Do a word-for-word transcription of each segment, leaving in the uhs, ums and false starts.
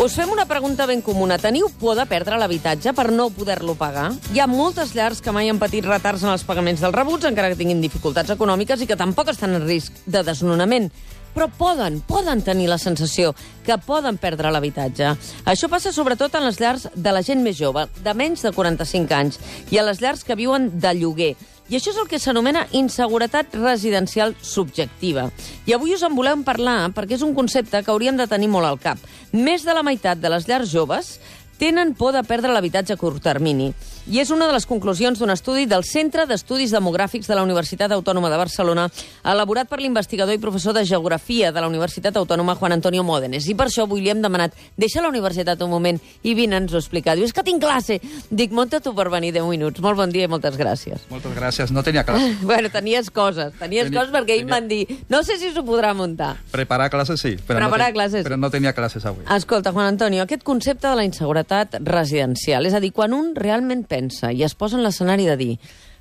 Us fem una pregunta ben comuna. Teniu por de perdre l'habitatge per no poder-lo pagar? Hi ha moltes llars que mai han patit retards en els pagaments dels rebuts, encara que tinguin dificultats econòmiques i que tampoc estan en risc de desnonament. Però poden, poden tenir la sensació que poden perdre l'habitatge. Això passa sobretot en les llars de la gent més jove, de menys de quaranta-cinc anys, i a les llars que viuen de lloguer. I això és el que s'anomena inseguretat residencial subjectiva. I avui us en volem parlar perquè és un concepte que hauríem de tenir molt al cap. Més de la meitat de les llars joves tenen por de perdre l'habitatge a curt termini. I és una de les conclusions d'un estudi del Centre d'Estudis Demogràfics de la Universitat Autònoma de Barcelona, elaborat per l'investigador i professor de Geografia de la Universitat Autònoma, Juan Antonio Módenes. I per això avui li hem demanat, deixa la universitat un moment i vine-nos a explicar. Diu, és que tinc classe. Dic, monta tu per venir deu minuts. Molt bon dia i moltes gràcies. Moltes gràcies. No tenia classe. Bueno, tenies coses. Tenies tenia, coses perquè tenia... ells m'han dit, no sé si s'ho podrà muntar. Preparar classes sí, però, Preparar no, classes. però no tenia classes avui. Escolta, Juan Antonio, aquest concepte de la inseguretat residencial, és a dir, quan un realment pensa i es posa en l'escenari de dir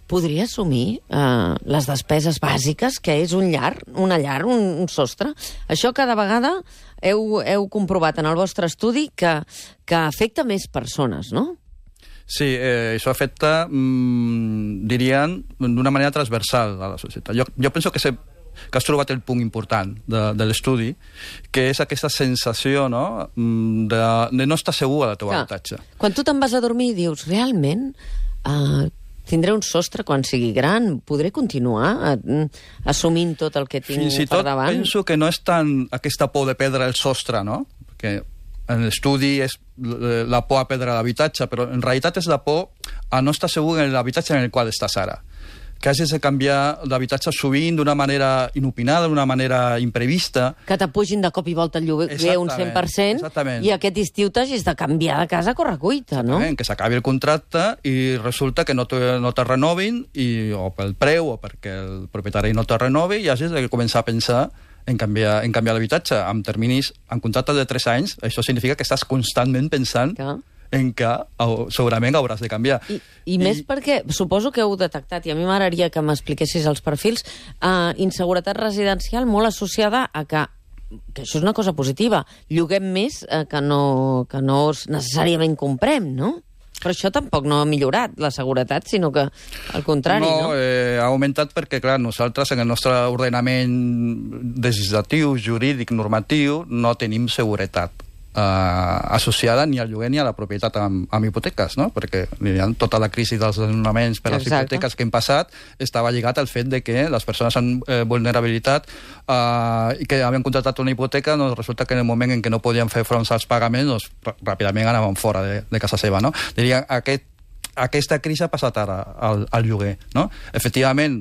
podria assumir eh, les despeses bàsiques, que és un llar, una llar, un, un sostre, això cada vegada heu, heu comprovat en el vostre estudi que, que afecta més persones, no? Sí, eh, això afecta, mmm, dirien, d'una manera transversal a la societat. Jo, jo penso que se que has trobat el punt important de, de l'estudi, que és aquesta sensació, no?, de, de no estar segur al teu habitatge. Quan tu te'n vas a dormir i dius, realment, uh, tindré un sostre quan sigui gran, podré continuar uh, assumint tot el que tinc Fins i per tot davant? penso que no és tant aquesta por de perdre el sostre, no?, perquè en l'estudi és la por a perdre l'habitatge, però en realitat és la por a no estar segur en l'habitatge en el qual estàs ara. Que hagis de canviar d'habitatge sovint d'una manera inopinada, d'una manera imprevista. Que t'apugin de cop i volta el lloguer un cent per cent exactament. I aquest estiu t'hagis de canviar de casa a correcuita, no? Que s'acabi el contracte i resulta que no te, no te renovin, i, o pel preu, o perquè el propietari no te renovi, i hagis de començar a pensar en canviar, en canviar l'habitatge. Amb terminis, en contractes de tres anys, això significa que estàs constantment pensant que... en què segurament hauràs de canviar. I, i, I més perquè suposo que heu detectat, i a mi m'agradaria que m'expliquessis els perfils, eh, inseguretat residencial molt associada a que, que això és una cosa positiva, lloguem més eh, que, no, que no necessàriament comprem, no? Però això tampoc no ha millorat la seguretat, sinó que al contrari, no? No, eh, ha augmentat perquè, clar, nosaltres en el nostre ordenament legislatiu, jurídic, normatiu, no tenim seguretat Uh, associada ni al lloguer ni a la propietat amb, amb hipoteques, no? Perquè tota la crisi dels desnonaments per les Exacte. hipoteques que hem passat estava lligat al fet de que les persones amb eh, vulnerabilitat uh, i que havien contractat una hipoteca, doncs resulta que en el moment en què no podien fer front als pagaments, doncs ràpidament anaven fora de, de casa seva, no? Diria, aquest, aquesta crisi ha passat ara al, al lloguer, no? Efectivament,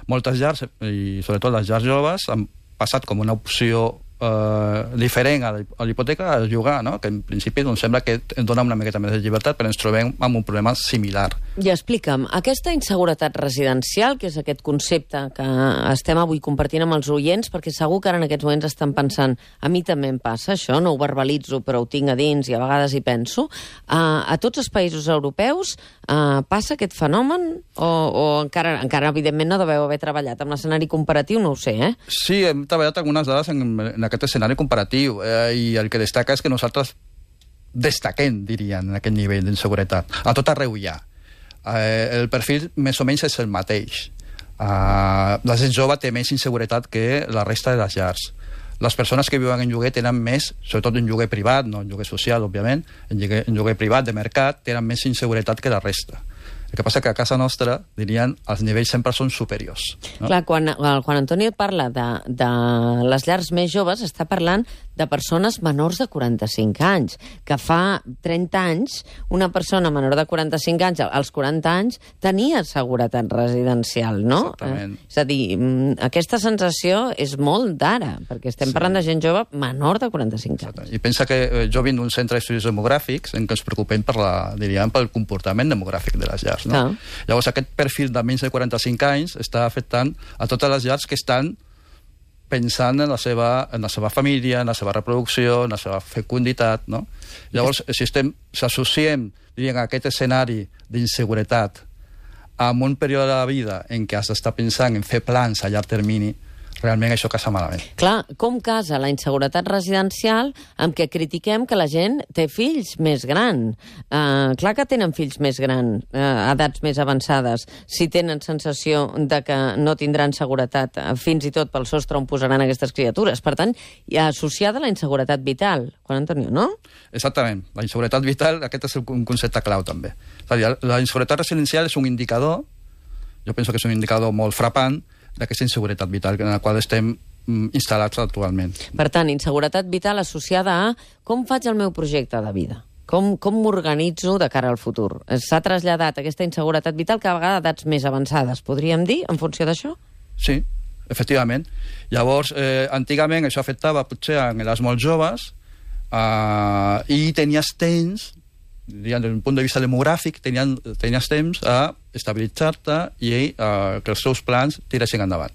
moltes llars, i sobretot les llars joves, han passat com una opció Uh, diferent a la hipoteca a llogar, no? Que en principi doncs, sembla que ens dona una miqueta més de llibertat, però ens trobem amb un problema similar. I explica'm, aquesta inseguretat residencial, que és aquest concepte que estem avui compartint amb els oients, perquè segur que ara en aquests moments estan pensant, a mi també em passa això, no ho verbalitzo però ho tinc a dins i a vegades hi penso, uh, a tots els països europeus uh, passa aquest fenomen o, o encara, encara evidentment no deveu haver treballat amb l'escenari comparatiu, no ho sé, eh? Sí, hem treballat algunes dades en, en aquest escenari comparatiu, eh, i el que destaca és que nosaltres destaquem, dirien, en aquest nivell d'inseguretat. A tot arreu hi ha. Eh, el perfil més o menys és el mateix. Eh, la gent jove té més inseguretat que la resta de les llars. Les persones que viuen en lloguer tenen més, sobretot en lloguer privat, no en lloguer social, òbviament, en lloguer, en lloguer privat de mercat, tenen més inseguretat que la resta. El que passa que a casa nostra, dirien, els nivells sempre són superiors. No? Clar, quan el Juan Antonio parla de, de les llars més joves, està parlant de persones menors de quaranta-cinc anys, que fa trenta anys una persona menor de quaranta-cinc anys, als quaranta anys, tenia seguretat residencial, no? Exactament. Eh, és a dir, aquesta sensació és molt d'ara, perquè estem sí. parlant de gent jove menor de quaranta-cinc anys. Exacte. I pensa que eh, jo vinc d'un centre d'estudis demogràfics en què ens preocupem per la, diríem, pel comportament demogràfic de les llars. No? Ah. Llavors aquest perfil de menys de quaranta-cinc anys està afectant a totes les llars que estan pensant en la seva, en la seva família, en la seva reproducció, en la seva fecunditat, no? Llavors, si estem, si associem, diríem, aquest escenari d'inseguretat amb un període de la vida en què has d'estar pensant en fer plans a llarg termini, realment això casa malament. Clar, com casa la inseguretat residencial amb què critiquem que la gent té fills més grans? Uh, clar que tenen fills més grans, uh, edats més avançades, si tenen sensació de que no tindran seguretat, uh, fins i tot pel sostre on posaran aquestes criatures. Per tant, hi ha associada la inseguretat vital. Juan Antonio, no? Exactament. La inseguretat vital, aquest és un concepte clau, també. És a dir, la inseguretat residencial és un indicador, jo penso que és un indicador molt frapant, d'aquesta inseguretat vital en la qual estem mm, instal·lats actualment. Per tant, inseguretat vital associada a com faig el meu projecte de vida, com, com m'organitzo de cara al futur. S'ha traslladat aquesta inseguretat vital cada vegada a edats més avançades, podríem dir, en funció d'això? Sí, efectivament. Llavors, eh, antigament això afectava potser a les molt joves eh, i tenies temps, des d'un punt de vista demogràfic, tenien, tenies temps a estabilitzar-te i eh, que els seus plans tiressin endavant.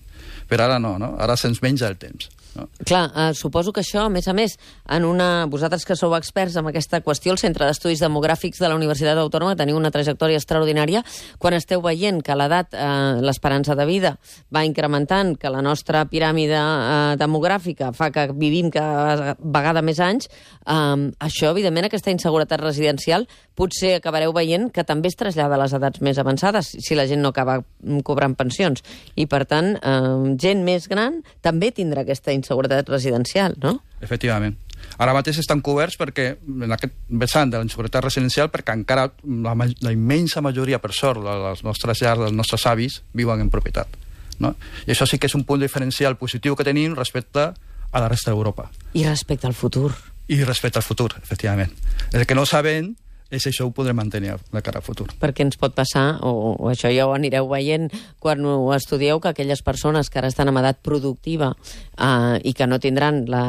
Però ara no, no? Ara se'ns menja el temps. No? Clar, eh, suposo que això, a més a més, en una... vosaltres que sou experts en aquesta qüestió, el Centre d'Estudis Demogràfics de la Universitat Autònoma, teniu una trajectòria extraordinària, quan esteu veient que l'edat, eh, l'esperança de vida va incrementant, que la nostra piràmide eh, demogràfica fa que vivim cada vegada més anys, eh, això, evidentment, aquesta inseguretat residencial, potser acabareu veient que també es trasllada a les edats més avançades, si la gent no acaba cobrant pensions. I, per tant, eh, gent més gran també tindrà aquesta inseguretat residencial, no? Efectivament. Ara mateix estan coberts perquè en aquest vessant de la inseguretat residencial perquè encara la, la immensa majoria, per sort, de les nostres llars, dels nostres avis, viuen en propietat. No? I això sí que és un punt diferencial positiu que tenim respecte a la resta d'Europa. I respecte al futur. I respecte al futur, efectivament. El que no sabem és això ho podrem mantenir de cara al futur. Perquè ens pot passar, o, o això ja ho anireu veient quan ho estudieu, que aquelles persones que ara estan en edat productiva eh, i que no tindran la,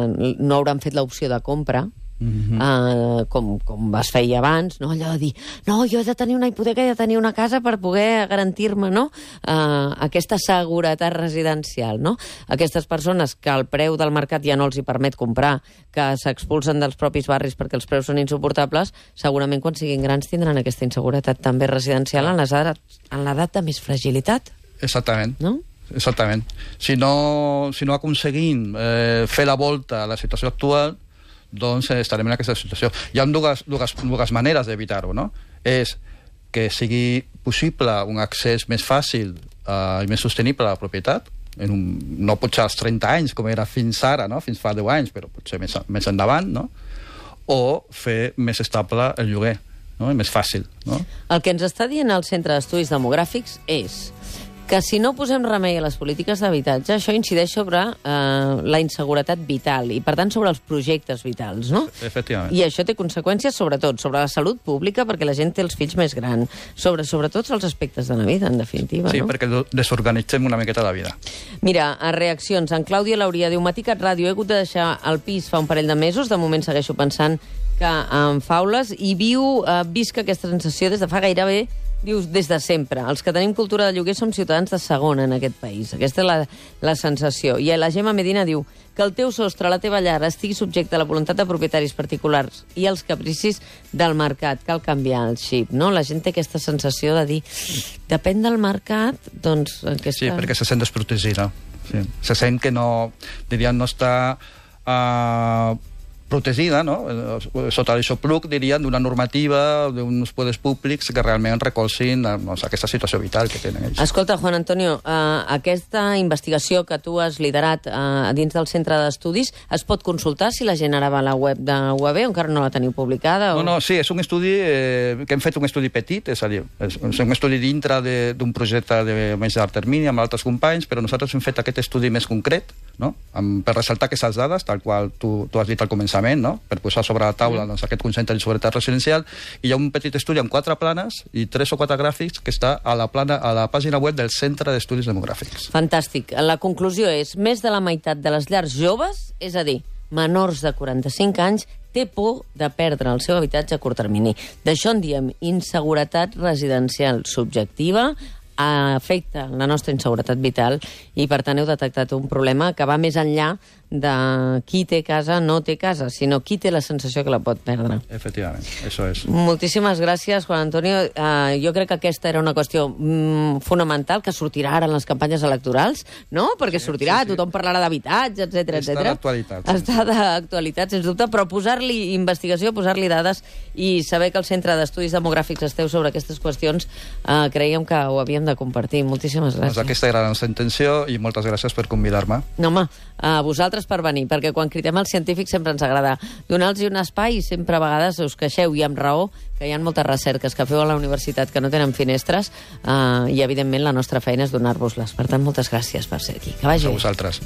no hauran fet l'opció de compra, Mm-hmm. uh, com, com es feia abans, no? Allò de dir, no, jo he de tenir una hipoteca, he de tenir una casa per poder garantir-me, no? Uh, aquesta seguretat residencial, no? Aquestes persones que el preu del mercat ja no els hi permet comprar, que s'expulsen dels propis barris perquè els preus són insuportables, segurament quan siguin grans tindran aquesta inseguretat també residencial en les edats, en l'edat de més fragilitat. Exactament. No? Exactament. Si no, si no aconseguim eh, fer la volta a la situació actual, doncs estarem en aquesta situació. Hi ha dues, dues, dues maneres d'evitar-ho, no? És que sigui possible un accés més fàcil uh, i més sostenible a la propietat, en un, no potser als trenta anys, com era fins ara, no? Fins fa deu anys, però potser més, més endavant, no? O fer més estable el lloguer, no? I més fàcil, no? El que ens està dient el Centre d'Estudis Demogràfics és que si no posem remei a les polítiques d'habitatge, això incideix sobre eh, la inseguretat vital i, per tant, sobre els projectes vitals, no? Efectivament. I això té conseqüències, sobretot, sobre la salut pública, perquè la gent té els fills més grans, sobre, sobre tots els aspectes de la vida, en definitiva, sí, no? Sí, perquè desorganitzem una miqueta la vida. Mira, a reaccions, en Clàudia Lauria diu, Maticat Ràdio, he hagut de deixar el pis fa un parell de mesos, de moment segueixo pensant que en faules, i viu, eh, visc aquesta sensació des de fa gairebé dius, des de sempre. Els que tenim cultura de lloguer som ciutadans de segona en aquest país. Aquesta és la, la sensació. I la Gemma Medina diu que el teu sostre, la teva llar, estigui subjecte a la voluntat de propietaris particulars i als capricis del mercat. Cal canviar el xip, no? La gent té aquesta sensació de dir, depèn del mercat, doncs... Aquesta... Sí, perquè se sent desprotegida. Sí. Se sent que no, diríem, no està... Uh, protegida, no? Sota l'aixopluc, dirien, d'una normativa, d'uns poders públics que realment recolzin doncs, aquesta situació vital que tenen ells. Escolta, Juan Antonio, uh, aquesta investigació que tu has liderat uh, dins del centre d'estudis, es pot consultar si la gent ara va a la web de U A B o encara no la teniu publicada? O... No, no, sí, és un estudi eh, que hem fet un estudi petit, és a dir, és un estudi dintre d'un projecte de més llarg termini amb altres companys, però nosaltres hem fet aquest estudi més concret, no? Amb, per ressaltar aquestes dades, tal qual tu, tu has dit al començament, no? Per posar sobre la taula doncs, aquest concepte de seguretat residencial, i hi ha un petit estudi amb quatre planes i tres o quatre gràfics que està a la, plana, a la pàgina web del Centre d'Estudis Demogràfics. Fantàstic. La conclusió és, més de la meitat de les llars joves, és a dir, menors de quaranta-cinc anys, té por de perdre el seu habitatge a curt termini. D'això en diem inseguretat residencial subjectiva, afecta la nostra inseguretat vital i, per tant, heu detectat un problema que va més enllà de qui té casa no té casa, sinó qui té la sensació que la pot perdre. Efectivament, això és. Moltíssimes gràcies, Juan Antonio. Uh, jo crec que aquesta era una qüestió mm, fonamental que sortirà ara en les campanyes electorals, no? Perquè sí, sortirà, sí, sí. Tothom parlarà d'habitatge, etcètera, etcètera. Està d'actualitat. Està d'actualitat, sens dubte, però posar-li investigació, posar-li dades i saber que el Centre d'Estudis Demogràfics esteu sobre aquestes qüestions, uh, creiem que ho havíem de compartir. Moltíssimes gràcies. Doncs aquesta era la nostra intenció i moltes gràcies per convidar-me. No, home, a vosaltres per venir, perquè quan cridem als científics sempre ens agrada donar-los un espai i sempre a vegades us queixeu, i amb raó, que hi ha moltes recerques que feu a la universitat que no tenen finestres eh, i, evidentment, la nostra feina és donar-vos-les. Per tant, moltes gràcies per ser aquí. Que vagi. A vosaltres.